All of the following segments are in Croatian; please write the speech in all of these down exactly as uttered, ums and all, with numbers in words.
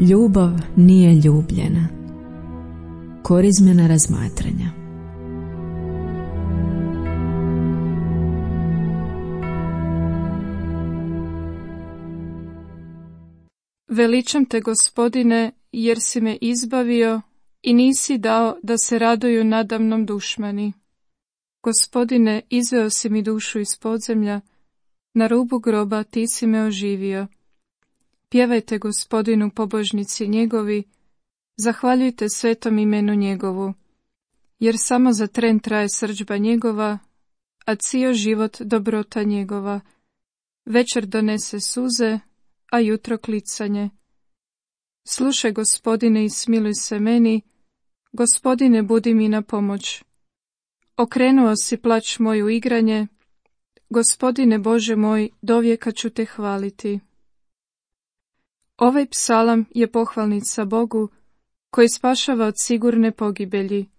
Ljubav nije ljubljena. Korizmena razmatranja. Veličam te, Gospodine, jer si me izbavio i nisi dao da se raduju nadamnom dušmani. Gospodine, izveo si mi dušu iz podzemlja, na rubu groba ti si me oživio. Pjevajte Gospodinu pobožnici njegovi, zahvaljujte svetom imenu njegovu, jer samo za tren traje srdžba njegova, a cijel život dobrota njegova. Večer donese suze, a jutro klicanje. Slušaj, Gospodine, i smiluj se meni, Gospodine, budi mi na pomoć. Okrenuo si plać moj u igranje, Gospodine Bože moj, dovijeka ću te hvaliti. Ovaj psalam je pohvalnica Bogu, koji spašava od sigurne pogibelji.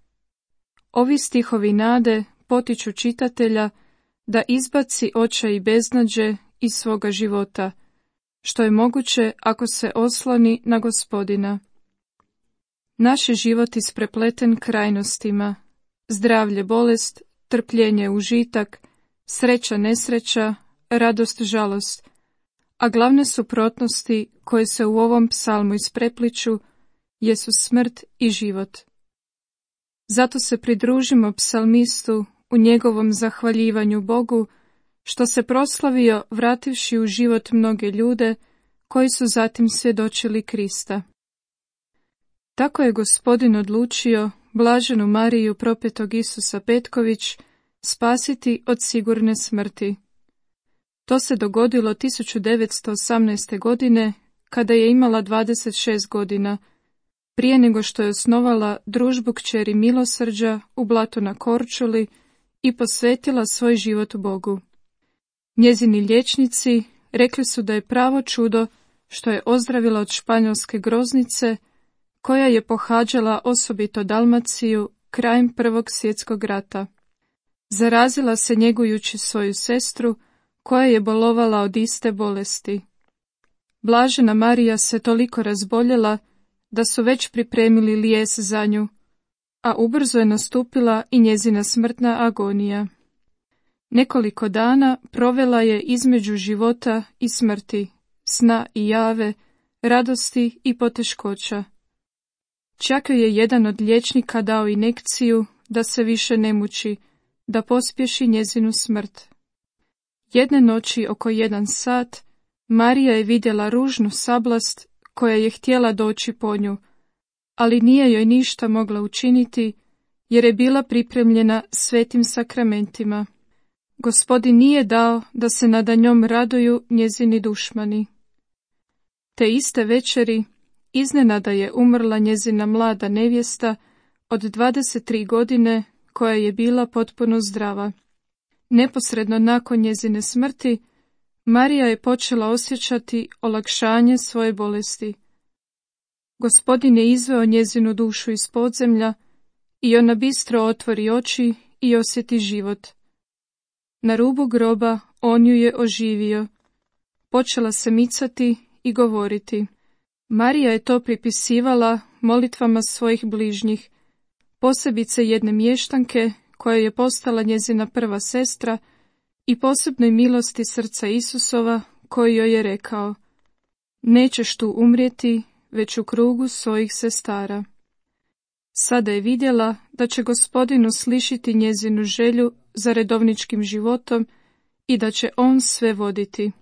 Ovi stihovi nade potiču čitatelja da izbaci očaj i beznađe iz svoga života, što je moguće ako se osloni na Gospodina. Naš je život isprepleten krajnostima, zdravlje bolest, trpljenje užitak, sreća nesreća, radost žalost, a glavne suprotnosti koje se u ovom psalmu isprepliču jesu smrt i život. Zato se pridružimo psalmistu u njegovom zahvaljivanju Bogu, što se proslavio vrativši u život mnoge ljude koji su zatim svjedočili Krista. Tako je Gospodin odlučio blaženu Mariju propetog Isusa Petković spasiti od sigurne smrti. To se dogodilo tisuću devetsto osamnaeste. godine, kada je imala dvadeset šest godina, prije nego što je osnovala družbu kćeri Milosrđa u Blatu na Korčuli i posvetila svoj život Bogu. Njezini liječnici rekli su da je pravo čudo što je ozdravila od španjolske groznice, koja je pohađala osobito Dalmaciju krajem Prvog svjetskog rata. Zarazila se njegujući svoju sestru, koja je bolovala od iste bolesti. Blažena Marija se toliko razboljela da su već pripremili lijes za nju, a ubrzo je nastupila i njezina smrtna agonija. Nekoliko dana provela je između života i smrti, sna i jave, radosti i poteškoća. Čak joj je jedan od liječnika dao injekciju da se više ne muči, da pospješi njezinu smrt. Jedne noći oko jedan sat Marija je vidjela ružnu sablast koja je htjela doći po nju, ali nije joj ništa mogla učiniti jer je bila pripremljena svetim sakramentima. Gospodin nije dao da se nada njom raduju njezini dušmani. Te iste večeri iznenada je umrla njezina mlada nevjesta od dvadeset tri godine koja je bila potpuno zdrava. Neposredno nakon njezine smrti, Marija je počela osjećati olakšanje svoje bolesti. Gospodin je izveo njezinu dušu iz podzemlja i ona bistro otvori oči i osjeti život. Na rubu groba on ju je oživio. Počela se micati i govoriti. Marija je to pripisivala molitvama svojih bližnjih, posebice jedne mještanke koja je postala njezina prva sestra i posebnoj milosti srca Isusova koji joj je rekao: nećeš tu umrijeti, već u krugu svojih sestara. Sada je vidjela da će Gospodin uslišiti njezinu želju za redovničkim životom i da će on sve voditi.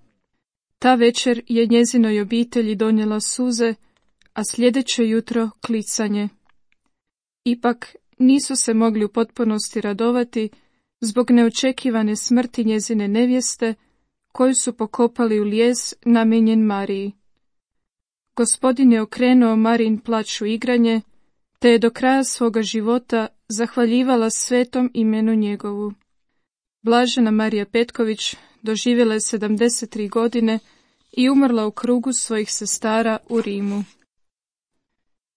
Ta večer je njezinoj obitelji donijela suze, a sljedeće jutro klicanje. Ipak nisu se mogli u potpunosti radovati zbog neočekivane smrti njezine nevjeste, koju su pokopali u lijes namijenjen Mariji. Gospodin je okrenuo Marijin plać u igranje, te je do kraja svoga života zahvaljivala svetom imenu njegovu. Blažena Marija Petković doživjela je sedamdeset tri godine i umrla u krugu svojih sestara u Rimu.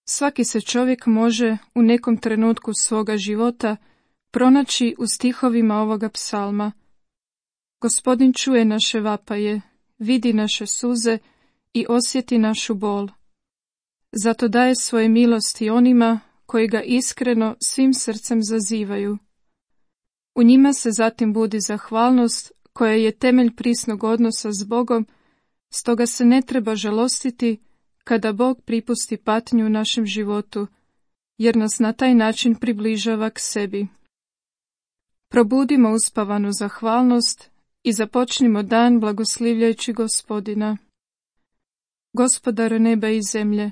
Svaki se čovjek može u nekom trenutku svoga života pronaći u stihovima ovoga psalma. Gospodin čuje naše vapaje, vidi naše suze i osjeti našu bol. Zato daje svoje milosti onima koji ga iskreno svim srcem zazivaju. U njima se zatim budi zahvalnost koja je temelj prisnog odnosa s Bogom, stoga se ne treba žalostiti kada Bog pripusti patnju u našem životu, jer nas na taj način približava k sebi. Probudimo uspavanu zahvalnost i započnimo dan blagoslivljajući Gospodina. Gospodaru neba i zemlje,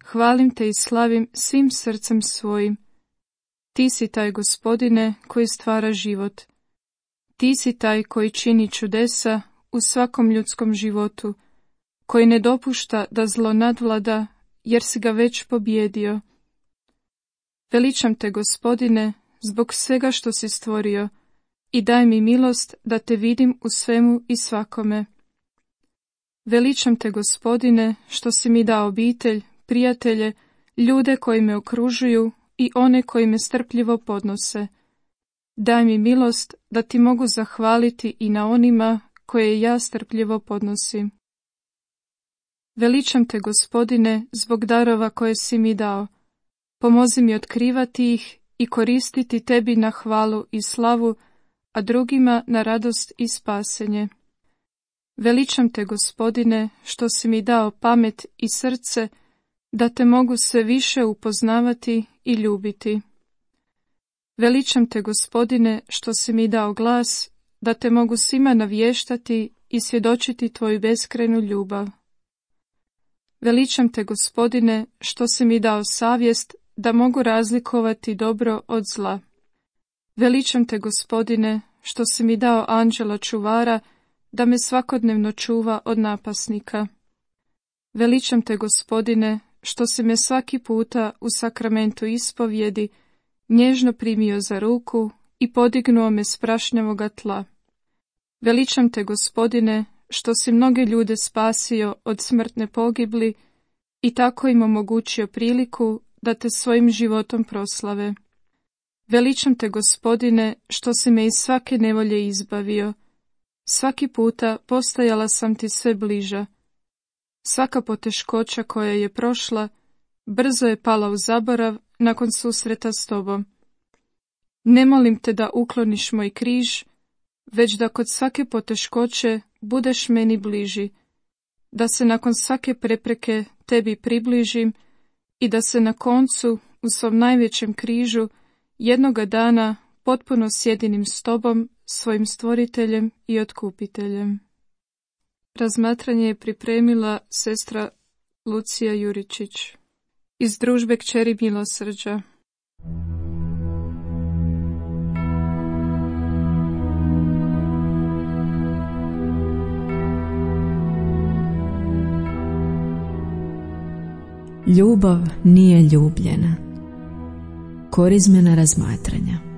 hvalim te i slavim svim srcem svojim. Ti si taj, Gospodine, koji stvara život. Ti si taj koji čini čudesa u svakom ljudskom životu, koji ne dopušta da zlo nadvlada, jer si ga već pobjedio. Veličam te, Gospodine, zbog svega što si stvorio, i daj mi milost da te vidim u svemu i svakome. Veličam te, Gospodine, što si mi dao obitelj, prijatelje, ljude koji me okružuju i one koji me strpljivo podnose. Daj mi milost da ti mogu zahvaliti i na onima koje ja strpljivo podnosim. Veličam te, Gospodine, zbog darova koje si mi dao. Pomozi mi otkrivati ih i koristiti tebi na hvalu i slavu, a drugima na radost i spasenje. Veličam te, Gospodine, što si mi dao pamet i srce, da te mogu sve više upoznavati i ljubiti. Veličam te, Gospodine, što si mi dao glas, da te mogu svima navještati i svjedočiti tvoju beskrajnu ljubav. Veličam te, Gospodine, što si mi dao savjest, da mogu razlikovati dobro od zla. Veličam te, Gospodine, što si mi dao anđela čuvara, da me svakodnevno čuva od napasnika. Veličam te, Gospodine, što si me svaki puta u sakramentu ispovjedi nježno primio za ruku i podignuo me s prašnjavoga tla. Veličam te, Gospodine, što si mnoge ljude spasio od smrtne pogibli i tako im omogućio priliku da te svojim životom proslave. Veličam te, Gospodine, što si me iz svake nevolje izbavio. Svaki puta postajala sam ti sve bliža. Svaka poteškoća koja je prošla, brzo je pala u zaborav nakon susreta s tobom. Ne molim te da ukloniš moj križ, već da kod svake poteškoće budeš meni bliži, da se nakon svake prepreke tebi približim i da se na koncu, u svom najvećem križu, jednoga dana potpuno sjedinim s tobom, svojim stvoriteljem i otkupiteljem. Razmatranje je pripremila sestra Lucija Juričić iz družbe Kćeri milosrđa. Ljubav nije ljubljena. Korizmena razmatranja.